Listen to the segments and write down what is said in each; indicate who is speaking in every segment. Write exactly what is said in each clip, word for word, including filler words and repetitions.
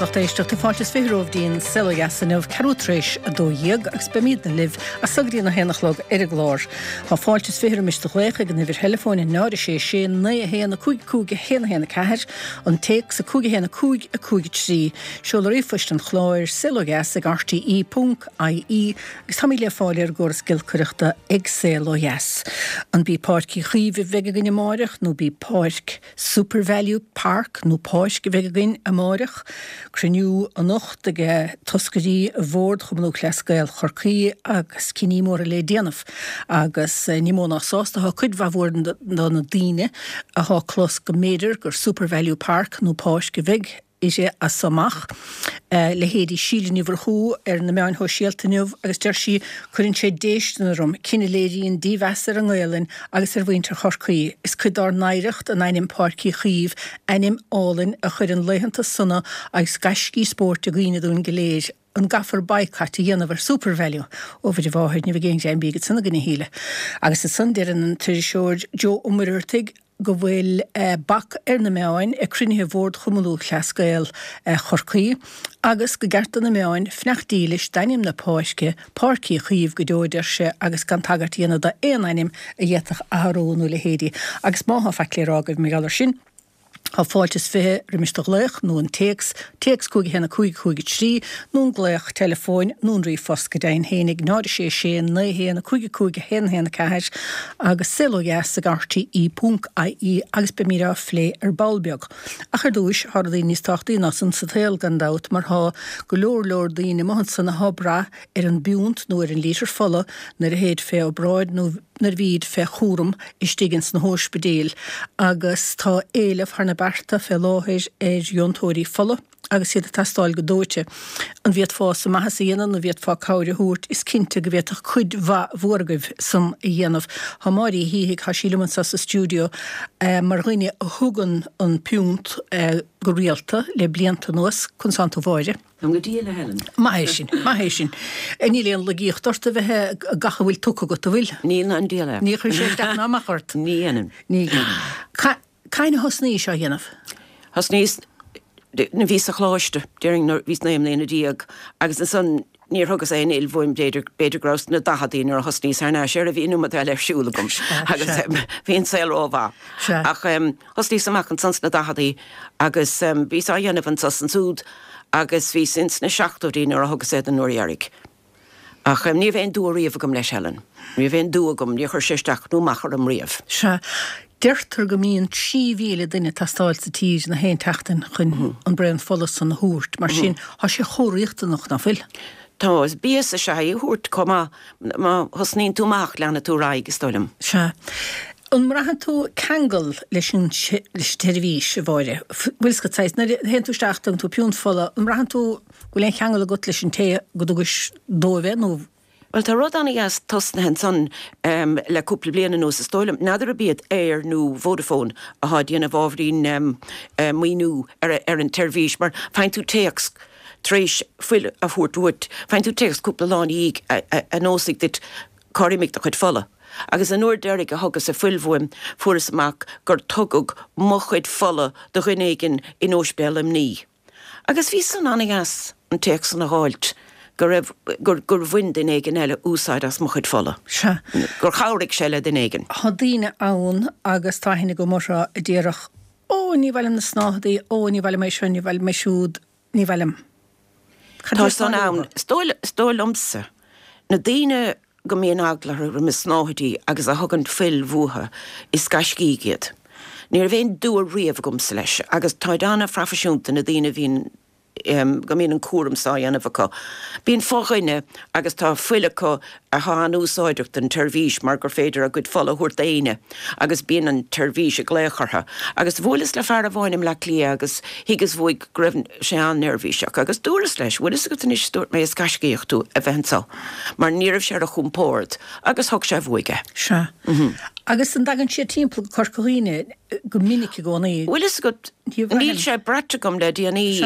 Speaker 1: Agus lucht éisteachta fáilte is fiche romhaibh dtí'n Saol Ó Dheas inniu ceathrú tar éis a dó dhéag agus beimidne libh as so go dtí an a haon a chlog ar an gclár. Tá fáilte is fiche roimis do ghlaoch ag an uimhir theileafóin náid a sé sé naoi a haon a cúig cúig a haon a haon a ceathair, an téacs a cúig a haon a cúig a cúig a trí. Seoladh ríomhphoist an chláir saol ó dheas ag rte ponc ie agus táimid le fáil ar an gcóras giolcaireachta ag Saol Ó Dheas. An b'í Páirc Uí Chaoimh a bheidh againn amáireach nó b'í Páirc SuperValu Park nó Páirc a bheidh againn amáireach, Cruinniú anocht ag toscairí Bhord Chumann Lúthchleas Gael Chorcaí agus cinní móra le déanamh agus ní mó ná sásta atá cuid mhaith mhór de na daoine atá clos go mb'fhéidir gur SuperValu Park nó Páirc a bheidh uirthi as so amach. Leithéidí Síle Ní Mhurchú ar na meáin shóisialta inniu agus deir sí, Cuireann sé déistin orm, cinneadh a léiríonn dímheas ar an nGaelainn agus ar mhuintir Chorcaí. Is cuid dár n-oidhreacht an ainm Páirc Uí Chaoimh, ainm álainn a chuireann laethanta sona agus gaiscí spóirt i gcuimhne dúinn go léir. An gcaithfear baghcat a dhéanamh ar SuperValu? Ó Mhuire Mháthair, ní bheidh aon ghreim bídh ansan againn a Shíle. Agus ansan deireann an t-iriseoir Joe Ó Muircheartaigh, go bhfuil bac ar na meáin ag cruinnithe Bhord Chumann Lúthchleas Gael Chorcaí agus go gceart do na meáin fanacht dílis d'ainm na páirce, Páirc Uí Chaoimh go deo a deir sé agus gan tagairt a dhéanamh d'aon ainm a d'fhéadfadh athrú nó leithéidí. Agus má thá faic le rá agaibh mar gheall air sin, Tá fáilte is fiche roimis do ghlaoch nó an téacs, téacs cúig a haon a cúig cúig a trí, nó an glaoch teileafóin nó an ríomhphost go deimhin féin ag náid a sé sé naoi a haon a cúig a cúig a haon a haon a ceathair agus saol ó dheas ag rte ponc ie agus beimid á phlé ar ball beag. Ach ar dtúis, thá rudaí níos tábhachtaí ná san sa tsaol gan dabht mar thá go leor leor daoine amuigh ansan athá brath ar an bpiúnt nó ar an lítear fola nuair a théid fé obráid nó nuair a bhíd fé chúram istigh ins na hóispidéil agus tá éileamh thar na bearta fé láthair ar dheontóirí fola agus iad ag teastáil go dóite. An bhféadfása maitheas a dhéanamh nó an bhféadfá cabhair a thabhairt? Is cinnte go bhféadfadh cuid mhaith mhór agaibh san a dhéanamh. Tá Máire Uí Shíthigh, tá sí liom anseo sa stiúideo mar dhuine a thugann an piúnt go rialta le blianta anuas. Conas tánn tú a Mháire?
Speaker 2: Táim go diail, a Helen.
Speaker 1: Maith é sin, maith é sin. Níl aon lagaíocht ort a bheith gach a bhfuil tugtha agat, an bhfuil?
Speaker 2: Níl ná an diabhal é.
Speaker 1: Ní chuireann sé isteach ná amach ort?
Speaker 2: Ní dhéanann.
Speaker 1: Ní dhéanann. Cathain a thosnaís á dhéanamh?
Speaker 2: Thosnaíos nuair a bhíos sa choláiste, déarfainn nuair a bhíos naoi mbliana déag, agus ansan níor thugas aon fhuil uaim, b'fhéidir, b'fhéidir go rabhas sna daicheadaí nuair a thosnaíos thar n-ais air, bhí an iomad eile ar siúl agam agus bhí an saol rómhaith. Ach thosnaíos amach ansan sna daicheadaí agus bhíos á dhéanamh anso is ansúd agus bhíos ins na seachtóidí nuair a thugas é don uair dheiridh. Ach ní raibh aon dua riamh agam leis, Helen. Ní raibh aon dua agam, níor chuir sé isteach nó amach orm riamh.
Speaker 1: Sea. Deirtear go mbíonn trí mhíle duine ag teastáil sa tír na haon tseachtain chun an braon fola san a thabhairt. Mar sin, tá sé chomh riachtanach, ná fuil?
Speaker 2: Tá. Is béas is ea é a thabhairt chomh maith. Má thosnaíonn tú amach, leanfaidh tú ar aghaidh, is dóigh liom.
Speaker 1: Sea. An mbraitheann tú ceangal leis an tseirbhís, a Mháire? Bhfuil fhios agat, saghas, nuair a théann tú isteach, tugann tú piúnt fola, an mbraitheann tú go bhfuil aon cheangal agat leis an té go dtugais dóibh é nó?
Speaker 2: Bhuel, tá rud ana-dheas tosnaithe ansan le cúpla bliain anuas, is dóigh liom. N'fheadar ab iad Eir nó Vodafone athá ag déanamh ábhairín maoiniú ar an tseirbhís, mar faigheann tú téacs tar éis fuil a thabhairt uait, faigheann tú téacs cúpla lá ina dhiaidh a neosfaidh duit cár imigh do chuid fola. Agus an uair deiridh a thugas-sa fuil uaim, fuaireas amach gur tugadh mo chuid fola do dhuine éigin in Óispidéal Luimní. Agus bhí san ana-dheas, an téacs san a dh'fháilt, go raibh, gur, gur bhain duine éigin eile úsáid as mo chuid fola.
Speaker 1: Sea.
Speaker 2: Gur chabhraigh sé le duine éigin.
Speaker 1: Tá daoine ann, agus tá aithne agam orthu, a déarfadh, Ó, ní mhaith liom na snáthaidí, ó, ní mhaith liom é seo, ní mhaith liom é siúd, ní mhaith liom. Cad
Speaker 2: Tá
Speaker 1: é
Speaker 2: san
Speaker 1: atá
Speaker 2: ann.
Speaker 1: uathu?
Speaker 2: Is dóigh, is dóigh liomsa, na daoine go mbíonn eagla orthu roimh na snáthaidí agus a thugann fuil uathu, is gaiscígh iad. Ní raibh aon dua riamh agamsa leis agus táid an-phroifisiúnta na daoine a bhíonn, go mbíonn an cúram so á dhéanamh acu. Bíonn fo-dhuine agus tá fuil acu athá an-úsáideach don tseirbhís mar gur féidir a gcuid fola a thabhairt d'éinne agus bíonn an tseirbhís ag glaoch orthu. Agus bhuaileas le fear amháin i mBleá Cliath agus thuigeas uaidh go raibh sé an-neirbhíseach agus dúras leis, bhfuil fhios agat anois, dúirt mé, is gaiscíoch tú a bheith anso. Mar ní raibh sé ar a chompord agus thug sé uaidh é.
Speaker 1: Sea. Agus an dtagann siad timpeall go Corca Dhuibhne go minic i gcónaí?
Speaker 2: Bhfuil fhios agat, níl sé braite agam le déanaí.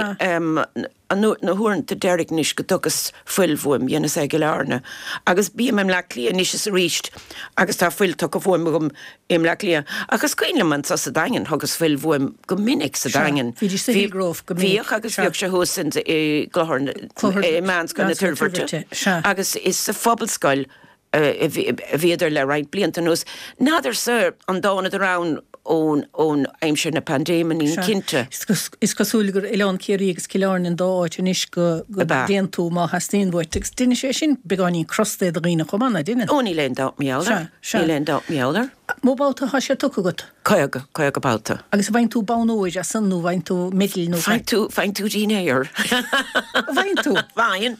Speaker 2: Na huaireanta deiridh anois go dtugas fuil bhuaim, dhéanas é i gCill Airne. Agus bím i mBleá Cliath anois is arís agus tá fuil tugtha bhuaim agam i mBleá Cliath. Ach is cuimhin liom anso sa Daingean, thugas fuil bhuaim go minic sa Daingean.
Speaker 1: Bhídís sa Hillgrove go minic.
Speaker 2: Bhíodh agus bhíodh sé thuas i gClochar, i Meánscoil na Toirbhirte. Agus is sa Phobalscoil a bhíodar le roinnt blianta anuas. N'fheadarsa an dtánadar ann ón aimsir na paindéime, nílim cinnte.
Speaker 1: Is cosúil gur Oileán Ciarraí agus Cill Airne an dá áit anois go dtéann tú má theastaíonn uait. Agus deineann sé sin beagáinín crosta do dhaoine chomh maith, ná deineann?
Speaker 2: Ó, níl aon dabht mar gheall air. Níl aon dabht mar gheall air.
Speaker 1: Mó babhta atá sé tugtha agat?
Speaker 2: Caoga, caoga babhta.
Speaker 1: Agus an bhfaigheann tú bonn óir as san nó an bhfaigheann tú medal nó?
Speaker 2: Faigheann tú, faigheann tú dinnéar.
Speaker 1: Bhfaigheann tú?
Speaker 2: Faigheann.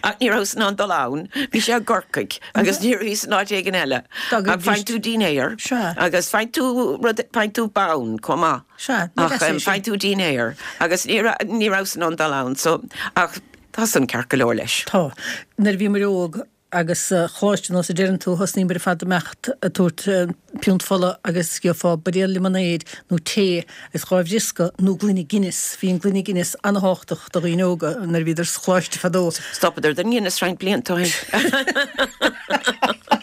Speaker 2: Ach ní rabhas in ann dul ann. Bhí sé i gCorcaigh agus ní bhíos in áit éigin eile. Ach faigheann tú dinnéar.
Speaker 1: Sea.
Speaker 2: Agus faigheann tú rud, faigheann tú bonn chomh maith.
Speaker 1: Sea, ní
Speaker 2: Ach faigheann tú dinnéar. Agus ní raibh, ní rabhas in ann dul ann so, ach tá san ceart go leor leis.
Speaker 1: Tá. Nuair a bhíomar óg, Agus sa choláiste, nós a deireann tú, thosnaíomar ar fad ag imeacht ag tabhairt piúnt fola agus gheofá buidéal liomanáid nó tae agus dhá bhriosca nó gloine Guinness. Bhí an gloine Guinness an-thábhachtach do dhaoine óga nuair a bhíodar sa choláiste fadó.
Speaker 2: Stopadar den Guinness roinnt blianta ó shin.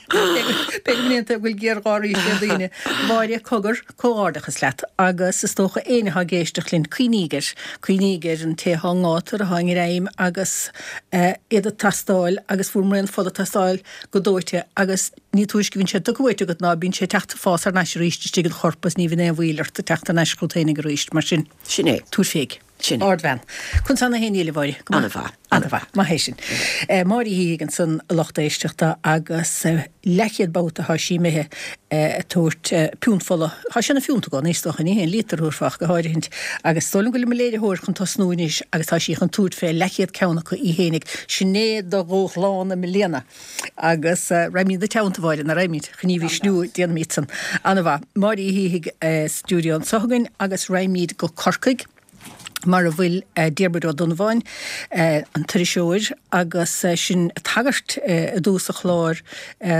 Speaker 1: B'fhéidir go mbíonn go bhfuil géarghá arís ag daoine. Máire, cogar, comhghairdeachas leat agus is dócha éinne atá ag éisteacht linn, cuimhníg air, cuimhníg ar an té atá i ngátar, atá i ngreim agus iad ag teastáil agus fuair braon fola ag teastáil go dóite agus ní túisce a bhíonn sé tugtha uait agat ná bíonn sé ag teacht ag fás thar n-ais arís istigh id chorp agus ní bhíonn aon mhoill ort ag teacht thar n-ais chugat féinig arís mar sin.
Speaker 2: Sin é.
Speaker 1: Tabhair féig.
Speaker 2: Sin é.
Speaker 1: Ardbhean. Conas tá na héin a Mháire? Go maith.
Speaker 2: An-mhaith.
Speaker 1: An-mhaith. Maith é sin. Máire Uí Shíthigh ansan a lucht éisteachta agus leathchéad babhta atá sí imithe ag tabhairt piúnt fola. Tá sé ina phiúnt i gcónaí is dócha, ní haon líotar a thabharfá ach go háirithint. Agus is dóigh liom go bhfuil mo léiritheoir chun tosnú anois agus tá sí chun tabhairt fé leathchéad ceann acu í fhéinig. Sin é do dhúshlán i mbliana. Agus raghaimid ina teannta, a Mháire, ná raghaimid? Chun í a mhisniú, déanfaimid san. An-mhaith. Máire Uí Shíthigh i stiúideo anso againn agus raghaimid go Corcaigh. mar a bhfuil Diarmuid Ó Donnabháin, an t-iriseoir, agus sinn ag tagairt i dtús an chláir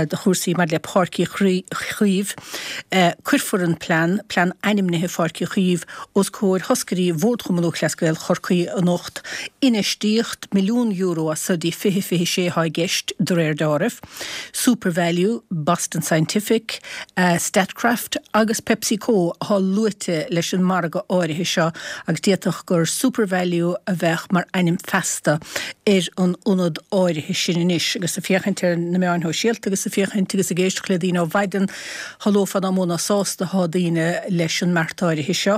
Speaker 1: do chúrsaí maidir le Páirc Uí Chaoimh. Cuirfear an plean, plean ainmnithe Pháirc Uí Chaoimh, os comhair thoscairí Bhord Chumann Lúthchleas Gael Chorcaí anocht. Infheistíocht milliún euro as so dtí fiche fiche sé atá i gceist, de réir deáraimh. SuperValu, Boston Scientific, Statkraft agus PepsiCo atá luaite leis an margadh áirithe seo agus d'fhéadfadh gur SuperValu a bheadh mar ainm feasta ar an ionad áirithe sin anois. Agus ag féachaint ar na meáin shóisialta agus ag féachaint agus ag éisteacht le daoine ó mhaidin, shamhlófá nach mó ná sásta atá daoine leis an mbeart áirithe seo.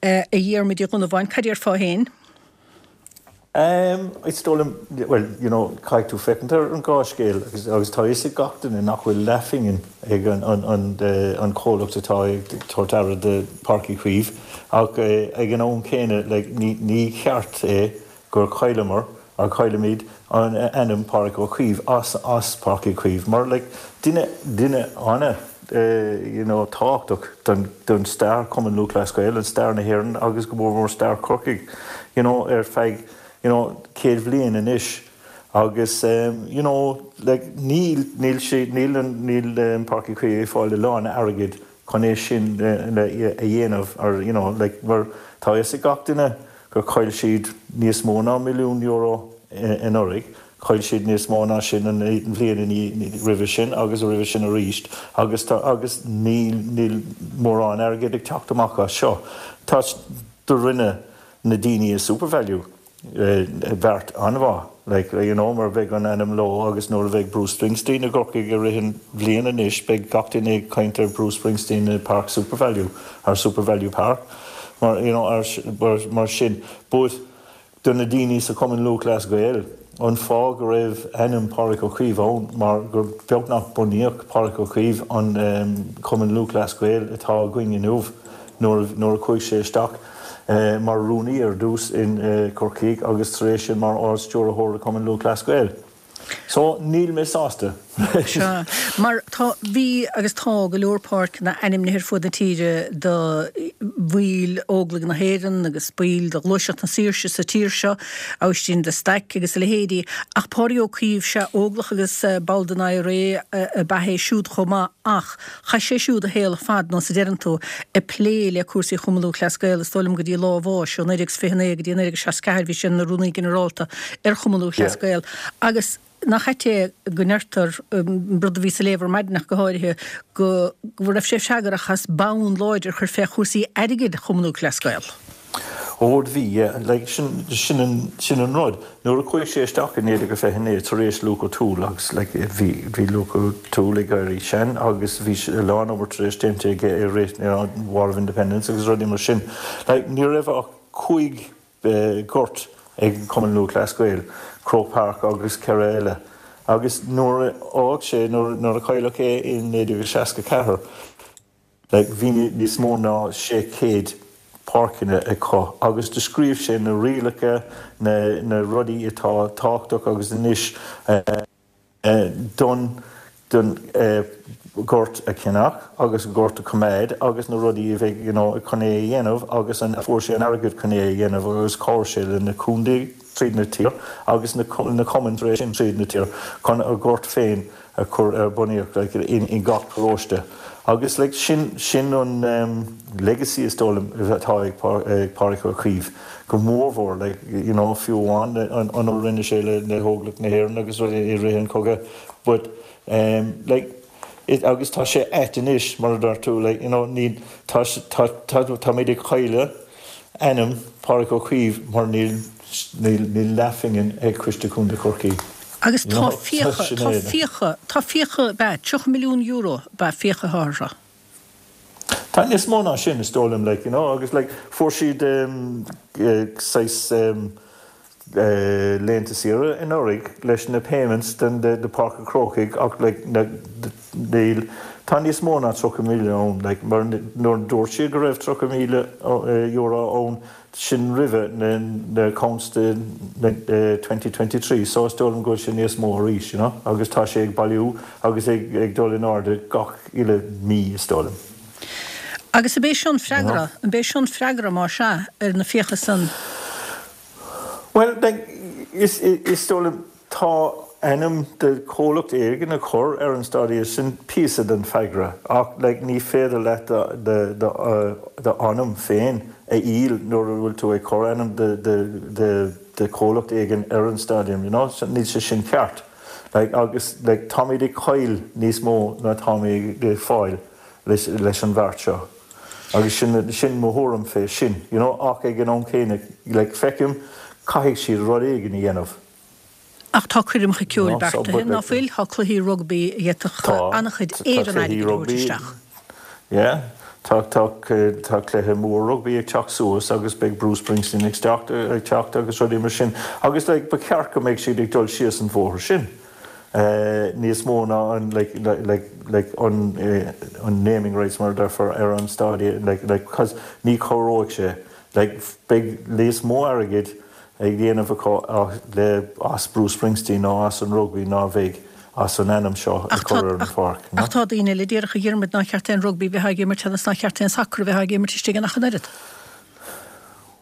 Speaker 1: A Dhiarmuid Uí Dhonnabháin, cad déarfá féin?
Speaker 3: Em, is dóigh liom, bhuel, you know, caithfidh tú féachaint ar an dhá scéal agus, agus tá a fhios ag gach duine nach bhfuil leathphingin ag an, an, an, an comhlacht atá ag tabhairt aire do Páirc Uí Chaoimh ach ag an am céanna, like, ní, ní ceart é gur chailleamar, or caillimid an ainm Pádraig Ó Caoimh as, as Páirc Uí Chaoimh mar, like, duine, duine ana, you know, tábhachtach don, don stair Chumann Lúthchleas Gael, an stair na hÉireann agus go mór mór stair Chorcaigh, you know, ar feadh, you know, céad bhliain anois agus you know, like, níl, níl sé, níl an, níl Páirc Uí Chaoimh ag fáil a lán airgid chun é sin a dhéanamh or, you know, like, mar tá a fhios ag gach duine gur chaill siad níos mó ná milliún euro anuraidh, chaill siad níos mó ná sin an bhliain roimhe sin agus roimhe sin arís agus tá, agus níl, níl mórán airgid ag teacht amach as seo. Tá, do rinne na daoine i SuperValu beart an-mhaith, like, you know, mar beidh an ainm leo agus nuair a bheidh Bruce Springsteen i gCorcaigh i rith an bhliain anois beidh gach duine ag caint ar Bruce Springsteen i Páirc SuperValu, ar SuperValu Park, mar, you know, ar, mar sin. But do na daoine sa Chumann Lúthchleas Gael, an fáth go raibh ainm Pádraig Ó Caoimh ann mar gur beagnach bunaíodh Pádraig Ó Caoimh an Cumann Lúthchleas Gael atá againn inniu nuair nuair a chuaigh sé isteach mar rúnaí ar dtús in Corcaigh agus tar éis sin mar Ard-Stiúrthóir le Cumann Lúthchleas Gael. So níl mé sásta.
Speaker 1: Sea, mar tá, bhí agus tá go leor páirceanna ainmnithe ar fud na tíre do bhaill Óglaigh na hÉireann agus baill de Ghluaiseacht na Saoirse sa tír seo, Aibhistín de Staic agus a leithéidí, ach Pádraig Ó Caoimh, sea, Óglach agus ball den IRA ab ea é siúd chomh maith ach chaith sé siúd a shaol ar fad, nós a deireann tú, ag plé le cúrsaí Chumann Lúthchleas Gael, is dóigh liom go dtí lá a bháis, ó naoi déag is fiche naoi go dtí naoi déag is seasca ceathair bhí sé ina Rúnaí Ginearálta ar Chumann Lúthchleas Gael agus nach ait é go ndeirtear, rud a bhíos a léamh ar maidin ach go háirithe, go raibh sé freagrach as bonn láidir a chur fé chúrsaí airgid Chumann Lúthchleas Gael.
Speaker 3: Ó bhí, yeah, like, sin, sin an, sin an rud. Nuair a chuaigh sé isteach i naoi déag a fiche naoi tar éis Luke O'Toole agus like, bhí, bhí Luke O'Toole ag éirí sean agus bhí a lán obair tar éis déanta aige i rith, you know, War of Independence agus rudaí mar sin. Like, ní raibh ach cúig gort ag Cumann Lúthchleas Gael, Croke Park agus ceithre eile. Agus nuair a fhág sé, nuair a cailleadh é i naoi déag seasca ceathair, like, bhí níos mó ná sé chéad páirceanna acu agus do scríobh sé na rialacha, na, na rudaí atá tábhachtach agus anois don, don gort a cheannach agus gort a choimeád agus na rudaí a bheidh you know chun é a dhéanamh agus an fuair sé an airgead chun é a dhéanamh agus chabhraigh sé le na contae tríd na tír agus na na cumainn tar éis sin tríd na tír chun a gort féin a chur ar bunaíocht like in in gach paróiste agus like sin sin an um, legacy is dóigh liom atá ag ag Pádraig Ó Caoimh go mórmhór like you know fiú amháin an an rinne sé le le hÓglaigh na hÉireann agus i rith an cogadh but um, like it, agus tá sé ait anois mar a dúirt tú like you know ní tá tá tá táimid ag cailleadh ainm Pádraig Ó Caoimh mar níl níl níl leathphingin ag Coiste Contae Chorcaí.
Speaker 1: Agus tá fiacha tá fiacha tá fiacha be tríocha milliún euro be fiacha thátha.
Speaker 3: Tá níos mó ná sin is dóigh liom like you know agus like fuair siad um, uh, saghas um, uh, laethanta saoire anuraidh leis na payments den de, de Páirc an Chrócaigh ach like, na, níl tá níos mó ná tríocha míle ann like, mar nuair dúirt siad go raibh tríocha míle euro ann sin roimhe na, na accounts de uh, twenty twenty three so is dóigh liom go bhfuil sé níos mó arís you know? agus tá sé ag bailiú agus ag, ag dul in airde gach uile mí is dóigh liom.
Speaker 1: Agus ab é seo an freagra, ab é seo an freagra má sea ar na fiacha san?
Speaker 3: Well, like, is, is dóigh liom tá ainm de chomhlacht éigin a chur ar an stadium sin píosa den freagra ach like, ní féidir leat d'ainm féin a fháil nuair a bhfuil tú ag cur ainm de, de, de, de chomhlacht éigin ar an stadium, you know? So, níl sé sin ceart. Like, agus like, táimid ag cailleadh níos mó ná táimid ag fáil leis, leis an bheart seo. Agus sin, sin mo thuairim fé sin, you know? Ach ag an am céanna, like, feicim caithfidh siad rud éigin a dhéanamh.
Speaker 1: Ach tá coirmeacha ceoil beartaithe, ná fuil? Tá cluichí rugbaí a d'fhéadfadh an-chuid éireann airgid a thabhairt isteach.
Speaker 3: Yeah, tá tá tá cluiche mór rugbaí ag teacht suas agus beidh Bruce Springsteen ag teacht ag teacht agus rudaí mar sin. Agus like, ba cheart go mbeidh siad ag dul síos an bhóthar sin. Uh, níos mó ná an like, like, like, an, uh, an naming rights mar deirtear ar an stadium like, like, cos ní chabhróidh sé. Like, beidh níos mó airgid ag déanamh acu le as Bruce Springsteen ná as an rugbaí ná bheidh as an ainm seo a chur ar an pháirc.
Speaker 1: Ach tá daoine eile a déarfadh a Dhiarmuid nár cheart aon rugbaí bheith ag imirt agus nár cheart aon sacar a bheith ag imirt istigh in ach an oiread.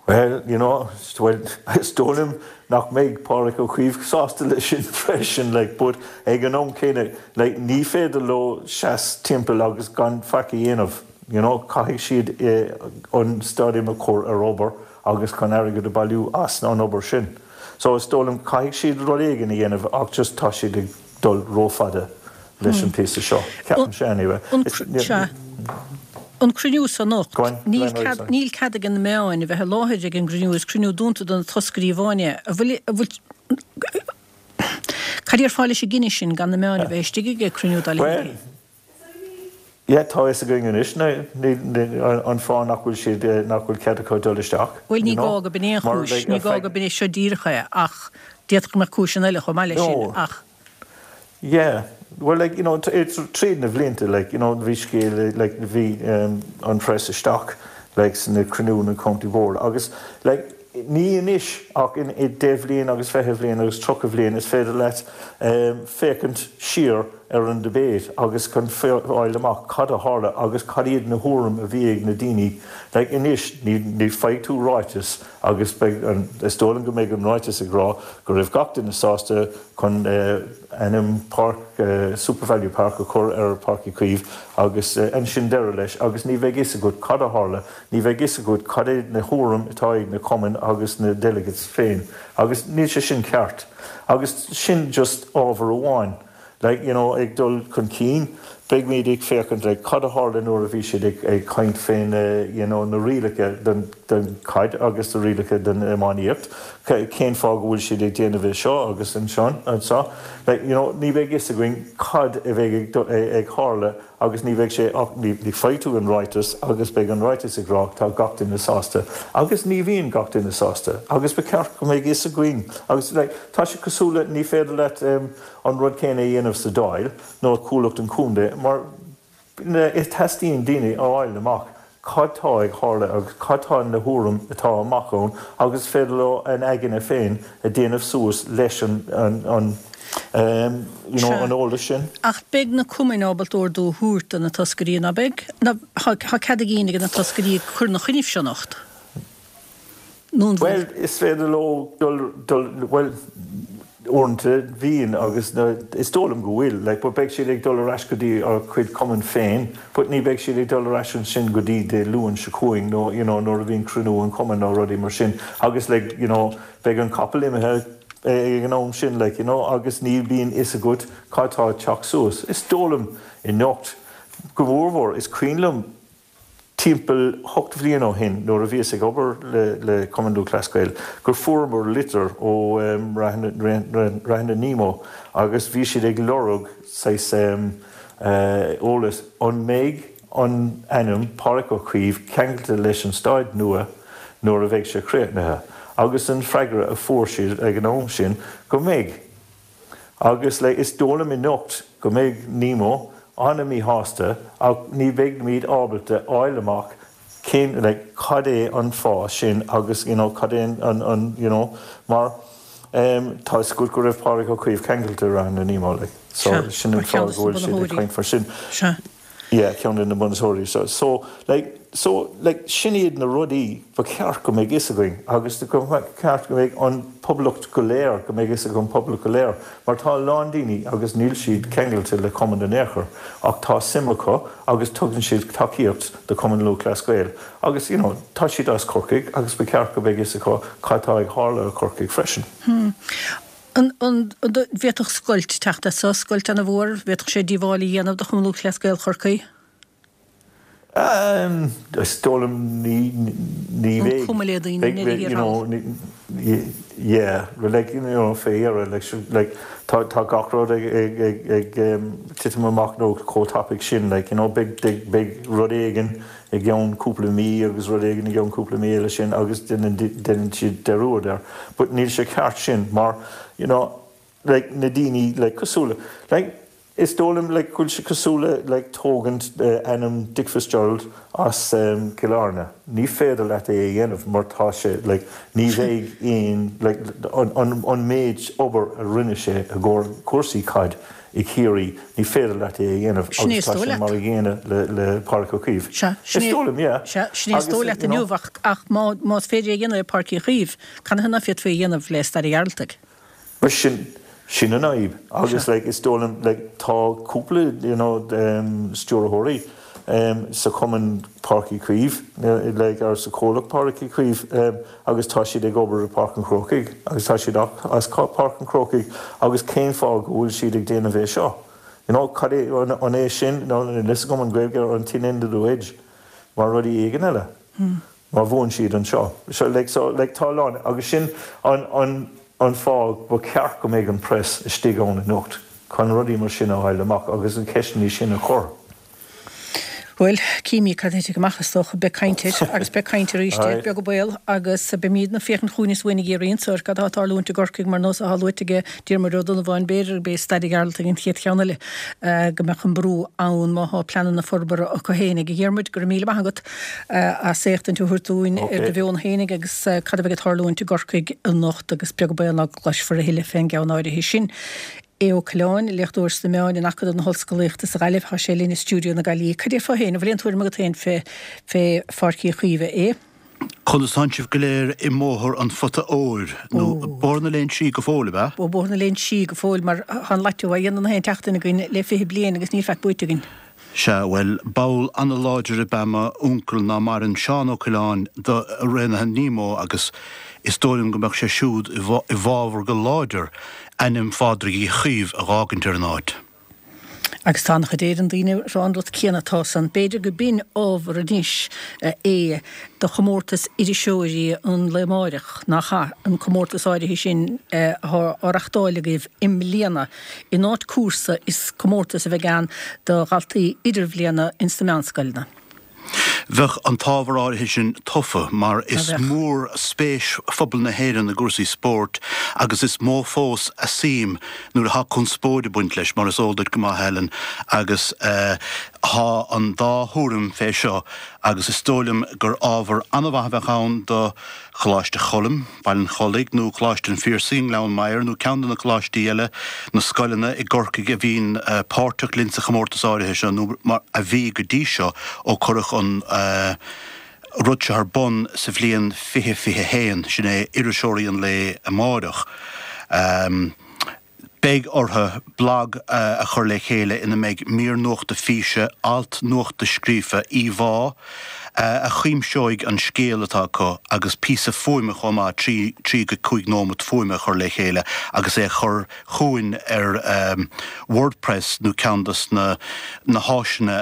Speaker 3: Well, you know, well, is dóigh liom nach mbeidh Pádraig Ó Caoimh sásta leis sin freisin, like, but ag an am céanna, like, ní féidir leo seas timpeall agus gan faic a dhéanamh, you know, caithfidh siad eh, an stadium a chur ar obair agus chun airgead a bailiú as an obair sin. So is dóigh liom caithfidh siad rud éigin a dhéanamh ach just tá siad ag dul rófhada leis an píosa seo. Ceapaimse anyway.
Speaker 1: Sea. An cruinniú san anocht, níl cead, níl cead ag na meáin a bheith i láthair ag an gcruinniú, is cruinniú dúnta do na toscairí amháin é. An bhfuil, an bhfuil, cad déarfá leis an gcinneadh sin gan na meáin a bheith istigh ag cruinniú dá leithéid?
Speaker 3: Well, yeah, tá fhios againn anois na, ní, ní, an fáth nach bhfuil siad, nach bhfuil cead acu dul isteach.
Speaker 1: Bhuel, ní gá go b'in é an chúis, ní gá go b'in é seo díreach é, ach d'fhéadfadh go mbeadh cúiseanna eile chomh maith leis sin, ach.
Speaker 3: Yeah, well like, you know, it's tríd na bhlianta, like, you know, bhí scéal, like, bhí um, an press isteach, like, sna cruinniú na County Board, agus, like, ní anois ach in i deich bhliain agus fiche bhliain agus tríocha bhliain is féidir leat um, féachaint siar ar an debate agus chun fáil amach cad a tharla agus cad iad na thuairim a bhí ag na daoine. Like anois ní, ní faighidh tú ráiteas agus beidh an, is dóigh liom go mbeidh an ráiteas ag rá go raibh gach duine sásta chun uh, ainm Park uh, SuperValu Park a chur ar Páirc Uí Chaoimh agus uh, ansin deireadh leis agus ní bheidh fhios agat cad a tharla, ní bheidh fhios agat cad é na thuairim atá ag na cumainn agus na delegates féin agus níl sé sin ceart. Agus sin just ábhar amháin. Like, you know, ag dul chun cinn, beidh ag féachaint like, cad a tharla nuair a bhí siad ag, ag caint fén uh, you know, na rialacha den, den caid agus na rialacha den iománaíocht. Cén fáth go bhfuil siad ag déanamh é seo agus ansin anseo. Like, you know, ní bheidh fhios againn cad a bheidh ag, ag, ag tharla agus ní bheidh sé ach ní, ní faighidh tú an ráiteas agus beidh an ráiteas ag rá tá gach duine sásta. Agus ní bhíonn gach duine sásta. Agus ba cheart go mbeidh fhios againn. Agus like, tá sé cosúil le ní féidir leat um, an rud céanna a dhéanamh sa Dáil nó comhlacht an chontae mar is teastaíonn daoine a fháil amach cad tá ag tarlú agus cad tá na thuairim atá amach ann agus féidir leo an aigne féin a déanamh suas leis an, an, an um, you know, an eolas sin.
Speaker 1: Ach beidh na cumainn ábalta ordú a thabhairt do na toscairí ná beidh? Tá cead ag na toscairí cur ina choinnibh seo anocht? Nó
Speaker 3: Well, is féidir leo dul, dul, well, uaireanta bhíonn agus na, is dóigh liom go bhfuil, like, but beidh siad ag dul ar ais go dtí a gcuid cumann féin, but ní beidh siad ag dul ar ais ansin go dtí Dé Luain seo chugainn nó you know, nuair a bhíonn cruinniú an chumainn nó rudaí mar sin. Agus like, you know, beidh an capall imithe ag an am sin like, you know, agus ní bhíonn fhios agat cad tá teacht suas. Is dóigh liom anocht go mórmhór is cuimhin liom timpeall ocht bhliain ó shin nuair a bhíos ag obair le, le Cumann Lúthchleas Gael gur fuaireamar litir ó um, Raithne Nemo agus bhí siad ag lorg saghas um, uh, eolas an mbeidh an ainm Páirc Uí Chaoimh ceangailte leis an staid nua nuair a bheidh sé críochnaithe. Agus an freagra a fuair siad ag an am sin go mbeidh. Agus le is dóigh liom anocht go mbeidh Nemo an-mhíshásta ach ní bheidh ábalta fháil amach cén like, cad é an fáth sin agus you know, cad é an, an you know, mar um, tá go go raibh Pádraig Ó Caoimh ceangailte ran Nemo like. So sin an fáth go bhfuil siad ag caint faoi sin.
Speaker 1: Se.
Speaker 3: Yeah, ceann de na bunaitheoirí so so like so like sin iad na rudaí ba cheart go mbeidh fhios againn agus go ceart go mbeidh an poblacht go léir go mbeidh fhios ag an poblacht go léir mar tá lán daoine agus níl siad ceangailte le cumann in aon chor ach tá suim acu agus tugann siad tacaíocht do Cumann Lúthchleas Gael agus you know tá siad as Corcaigh agus ba cheart go mbeidh fhios acu cad tá ag tarlú i Corcaigh freisin.
Speaker 1: Hmm. An an bhféadfadh scoilt teacht as scoilt an-mhór, bhféadfadh sé díobháil a dhéanamh do Chumann Lúthchleas Gael Chorcaí?
Speaker 3: Um, is dóigh liom ní ní bheidh
Speaker 1: cuma le daoine
Speaker 3: you know yeah like you know fair like like tá tá gach rud ag ag ag ag um, titim amach nó chomh tapaidh sin like you know big big big rud éigin i gceann cúpla mí agus rud éigin i gceann cúpla mí eile sin agus déanann siad dearúd air but níl sé ceart sin mar you know like na daoine like cosúil like is dóigh liom like go bhfuil sé cosúil le like tógaint uh, ainm Dick Fitzgerald as um, Cill Airne. Ní féidir leat é a dhéanamh mar tá sé like, ní bheidh aon like, an, an, an méid obair a rinne sé i gcomhair cúrsaí caid i Ciarraí ní féidir leat é a dhéanamh agus tá sé mar a gcéanna le, le Pádraig Ó Caoimh. Is dóigh liom, yeah.
Speaker 1: Sin é is dóigh leat inniu ach ach má más féidir a dhéanamh le Páirc Uí Chaoimh, canathaobh nach bhféadfaí a dhéanamh le Staid an Ghearaltaigh.
Speaker 3: Mar sin sin an fhadhb agus like, is dóigh liom like, tá cúpla you know, um, stiúrthóirí um, sa cumann Páirc Uí Chaoimh like, ar sa comhlacht Páirc Uí Chaoimh um, agus tá siad ag obair i Páirc an Chrócaigh agus tá siad as Páirc an Chrócaigh agus cén fáth go bhfuil siad ag déanamh é seo. You know, cad é an, an é sin nó lis go an Gaeilge an thin end of the wedge mar rudaí éigin eile.
Speaker 1: Hmm.
Speaker 3: Mar bhuann siad anseo. So, like, so, like, tá lán agus sin an, an, an fáth ba cheart go mbeidh an press istigh ann anocht chun rudaí mar sin a fháil amach agus an ceisteanna sin a chur.
Speaker 1: Bhuel, címid cad a thitfidh amach is dócha, beidh caint air agus beidh caint arís air, beag an baol, agus beimidne ag féachaint chugainn is uainn ag iarraidh inse ar cad atá ag tarlúint i gCorcaigh mar nós atá luaite aige Diarmuid Ó Donnabháin, b'fhéidir gurb é Staid an Ghearaltaigh an chéad cheann eile go mbeadh an brú ann má thá pleananna forbartha acu fhéinig. A Dhiarmuid, go raibh míle maith agat as éachtaint a thabhairt dúinn ar do mheon fhéinig agus cad a bheidh ag tarlúint i gCorcaigh anocht agus beag an baol ná go gcloisfear a thuilleadh fén gceann áirithe sin. Aodh Ó Coileáin, léachtóir sna meáin in Acadamh na hOllscolaíochta sa Ghaillimh, tá sé linn i stiúideo na Gaillimhe. Cad déarfá féin, an bhfuil aon tuairim agat féin fé fé Pháirc Uí Chaoimh, a Aodh?
Speaker 4: Conas tánn sibh go léir i mBóthar an Phota Óir, nó Bóthar na Léinsí go fóill, ab ea?
Speaker 1: Ó, Bóthar na Léinsí go fóill, mar tá an lotto á dhéanamh na haon tseachtain againn le fiche bliain agus níl faic buaite againn.
Speaker 4: Sea, bhuel, ball an-láidir ab ea m'uncail ná maireann, Seán Ó Coileáin, do Raonaithe Nemo agus is dóigh liom go mbeadh sé siúd i bhfabhar go láidir ainm Phádraig Uí Chaoimh a dh'fhágaint ar an áit.
Speaker 1: Agus tá an-chuid Éireann daoine ag rá an rud céanna atá san. B'fhéidir go b'in ábhar anois é do chomórtas iriseoirí an lae amáireach, nach ea? An comórtas áirithe sin atá á reachtáil agaibh i mbliana. In áit cúrsa, is comórtas a bheidh ann do dhaltaí idirbhliana ins na meánscoileanna.
Speaker 4: Bheadh an t-ábhar áirithe sin tofa mar is mór spéis phobal na hÉireann i gcúrsaí spóirt agus is mó fós a suim nuair atá conspóid ag baint leis, mar is eol duit go maith, Helen, agus tá an dá thuairim fé seo agus is dóigh liom gur ábhar an-mhaith a bheadh ann do Choláiste Choilm, Baile an Chollaigh, nó Coláiste an Phiarsaigh i nGleann Maghair, nó ceann de na coláistí eile, na scoileanna i gCorcaigh a bhíonn páirteach linn sa chomórtas áirithe seo, nó mar a bhí go dtí seo ó cuireadh an rud seo ar bun sa bhliain fiche fiche haon, sin é Iriseoirí an Lae Amáireach. Beidh orthu blag a chur le chéile ina mbeidh mír nuachta físe, alt nuachta scríofa, íomhá a chuimseoidh an scéal atá acu agus píosa fuaime chomh maith, trí, trí go cúig nóimeat fuaime a chur le chéile agus é a chur chugainn ar WordPress nó ceann dos na na háiseanna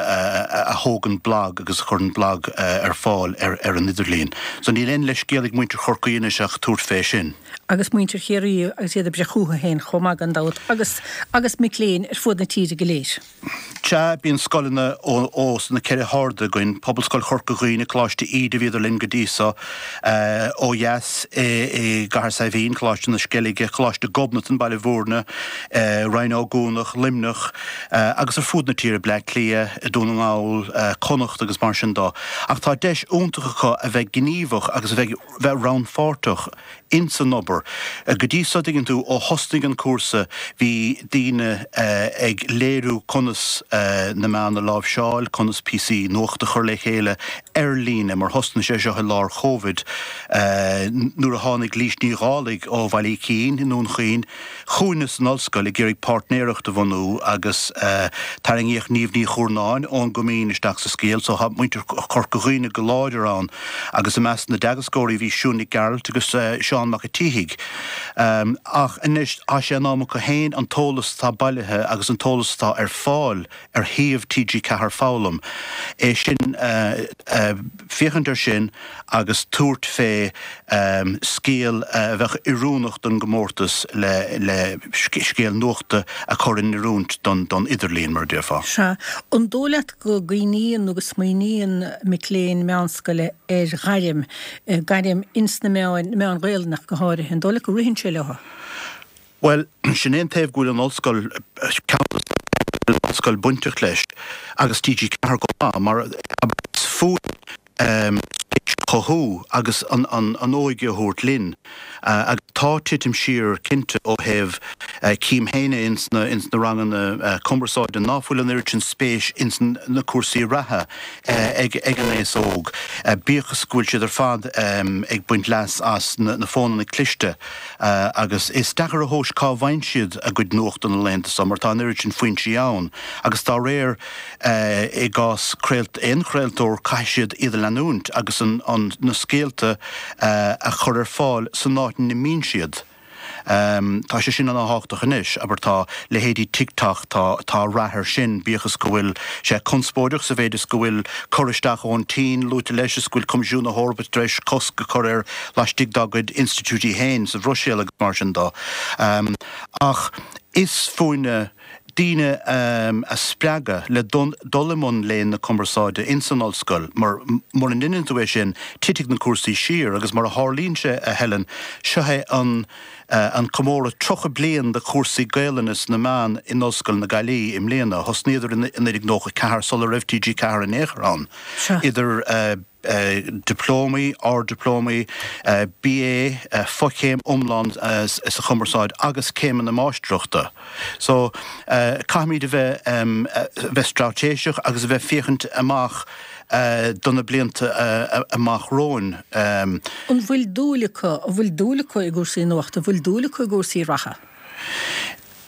Speaker 4: a thógann blag agus a chuireann blag ar fáil ar ar an idirlíon. So níl aon leithscéal ag muintir Chorcaí anois ach tabhairt fé sin.
Speaker 1: agus muintir Chiarraí agus iad ag breith chúthu féin chomh maith gan dabht, agus agus mic léinn ar fud na tíre go léir.
Speaker 4: Sea, bíonn scoileanna ó ó sna ceithre hairde againn, Pobalscoil Chorca Dhuibhne, Coláiste Íde, bhíodar linn go dtí so, ó dheas i i gCathair Saidhbhín, Coláiste na Sceilge, Coláiste Ghobnatan, Baile Bhúirne, Rinn Ó gCuanach, Luimneach, agus ar fud na tíre, Bleá Cliath, Dún na nGall, Connacht agus mar sin dó. Ach tá deis iontach acu a bheith gníomhach agus a bheith bheith rannpháirteach ins an obair. Go dtí so, dtuigeann tú, ó thosnaigh an cúrsa, bhí daoine ag léiriú conas na meáin a láimhseáil, conas píosaí nuachta a chur le chéile ar líne, mar thosnaigh sé seo i lár Covid, nuair a tháinig Lís Ní Dhálaigh ó Bhaile Uí Chinn i nDún Chaoin chugainne san ollscoil ag iarraidh páirtnéireacht a bhunú agus tarraingíodh Niamh Ní Chuarnáin ón gCoimín isteach sa scéal, so tá muintir Chorca Dhuibhne go láidir ann agus i measc na dteagascóirí bhí Siún Nic Gearailt agus Seán Mac a' tSíthigh. Ach anois tá sé in am acu féin an t-eolas atá bailithe agus an t-eolas atá ar fáil ar shuíomh T G ceathair Foghlaim, é sin, féachaint air sin agus tabhairt fé scéal a bheadh oiriúnach don gcomórtas le le scéal nuachta a chur in oiriúint don don idirlíon, mar a déarfá.
Speaker 1: Sea. An dóigh leat go gcuimhníonn nó go smaoiníonn mic léinn meánscoile ar ghairm, gairm ins na meáin, na meáin Ghaelainn ach go háirithe, an dóigh leat go ritheann sé leo?
Speaker 4: Bhuel, sin é an taobh go bhfuil an ollscoil, ceann de na an ollscoil bainteach leis, agus T G ceathair chomh maith, mar is fúinn spéis a chothú agus an óige a thabhairt linn. Agus tá titim siar cinnte ó thaobh, cím féin é ins na ins na ranganna cumarsáide, ná fuil an oiread sin spéis ins na cúrsaí reatha ag ag an aos óg, bíodh is go bhfuil siad ar fad ag baint leas as na fónanna cliste. Agus is deacair a thomhas cá bhfaigheann siad a gcuid nuachta na laethanta seo mar tá an oiread sin foinsí ann agus dá réir i gcás aon chraoltóir caithfidh siad iad a leanúint agus an na scéalta a chur ar fáil san áit ina mbíonn siad. Tá sé sin ana-thábhachtach anois. Abair tá leithéidí TikTok, tá tá rath air sin, bíodh is go bhfuil sé conspóideach sa mhéid is go bhfuil cur isteach ón tSín luaite leis is go bhfuil Coimisiún na hEorpa tar éis cosc a chur air laistigh dá gcuid institiúidí féin sa Bhruiséil agus mar sin dó. Ach is fúinne daoine a spreagadh le dul i mbun léinn na cumarsáide ins an ollscoil, mar mura ndeineann tú é sin, titfidh na cúrsaí siar agus mar a tharlaíonn sé, a Helen, seo é an an comóradh tríocha bliain de chúrsaí Gaelainne sna meáin in Ollscoil na Gaillimhe i mbliana. Thosnaíodar i naoi déag nócha ceathair sula raibh T G ceathair in aon chor ann. Idir dioplómaí, ard-dioplómaí, B A, fochéim iomlán sa chumarsáid agus céimeanna máistreachta. So caithfimid a bheith bheith straitéiseach agus a bheith féachaint amach do na blianta amach romhainn.
Speaker 1: An bhfuil dúil acu, an bhfuil dúil acu i gcúrsaí nuachta, an bhfuil dúil acu i gcúrsaí reatha?